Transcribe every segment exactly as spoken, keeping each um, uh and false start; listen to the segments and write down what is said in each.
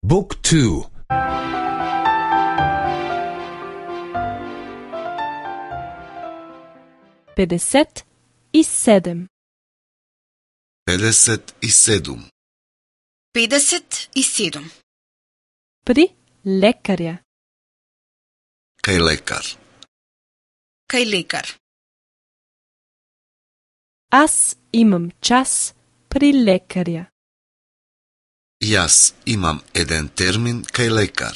Book two. педесет и седем. педесет и седум. педесет и седум. При лекарја. Кај лекар. Кај лекар. Аз имам час при лекарја. Јас имам еден термин кај лекар.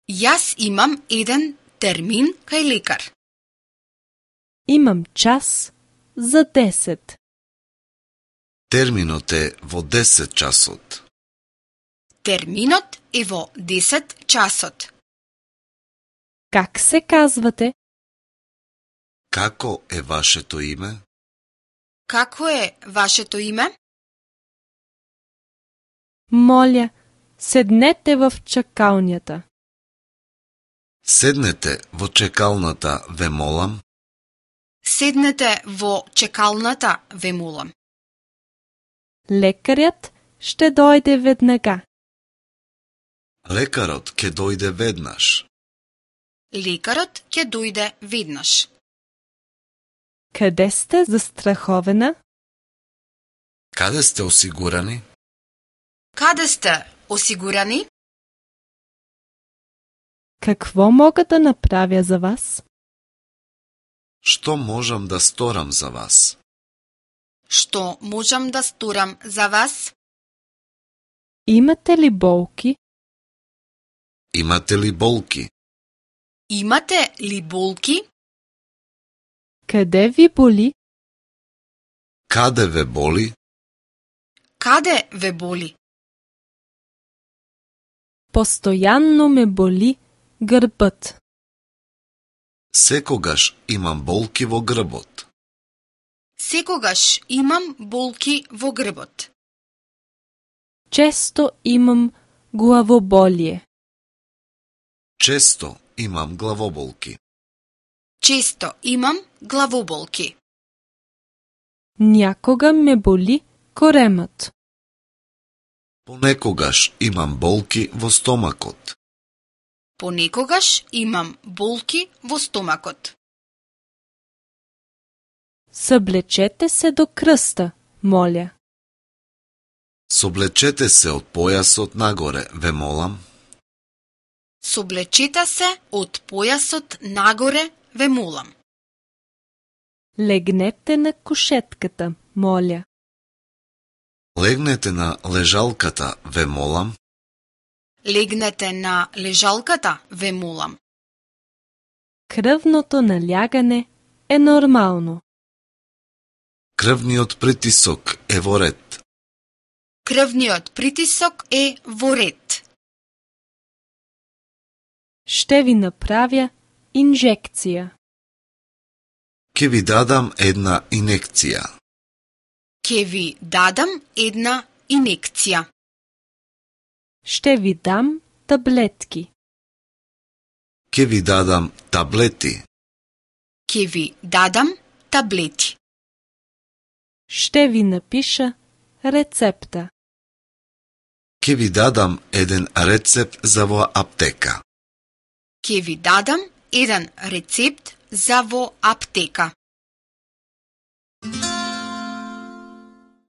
Јас имам еден термин кај лекар. Имам час за десет. Терминот е во десет часот. Терминот е во десет часот. Как се казвате? Како е вашето име? Како е вашето име? Моля, седнете в чакалњата. Седнете во чекалната, ве молам. Седнете во чекалната, ве молам. Лекарјат ще дојде веднага. Лекарот ќе дојде веднаш. Лекарот ќе дојде веднаш. Каде сте застраховена? Каде сте осигурани? Каде сте осигурани? Какво мога да направя за вас? Што можам да сторам за вас? Што можам да сторам за вас? Имате ли болки? Имате ли болки? Имате ли болки? Каде ви боли? Каде ве боли? Каде ве боли? Постојанно ме боли грбот. Секогаш имам болки во грбот. Секогаш имам болки во грбот. Често имам главоболие. Често имам главоболки. Често имам главоболки. Някога ме боли коремот. Понекогаш имам болки во стомакот. Понекогаш имам болки во стомакот. Съблечете се до кръста, моля. Соблечете се од појасот нагоре, ве молам. Соблечете се од појасот нагоре, ве молам. Легнете на кушетката, моля. Легнете на лежалката, ве молам. Легнете на лежалката, ве молам. Кръвното налягане е нормално. Крвниот притисок е во ред. Крвниот притисок е во ред. Ще ви направя инжекција. Ке ви дадам една инекција. Ке ви дадам една инекција. Ще ви дам таблетки. Ке ви дадам таблети. Ке ви дадам таблети. Ще ви напиша рецепта. Ке ви дадам еден рецепт за во аптека. Ке ви дадам еден рецепт за во аптека.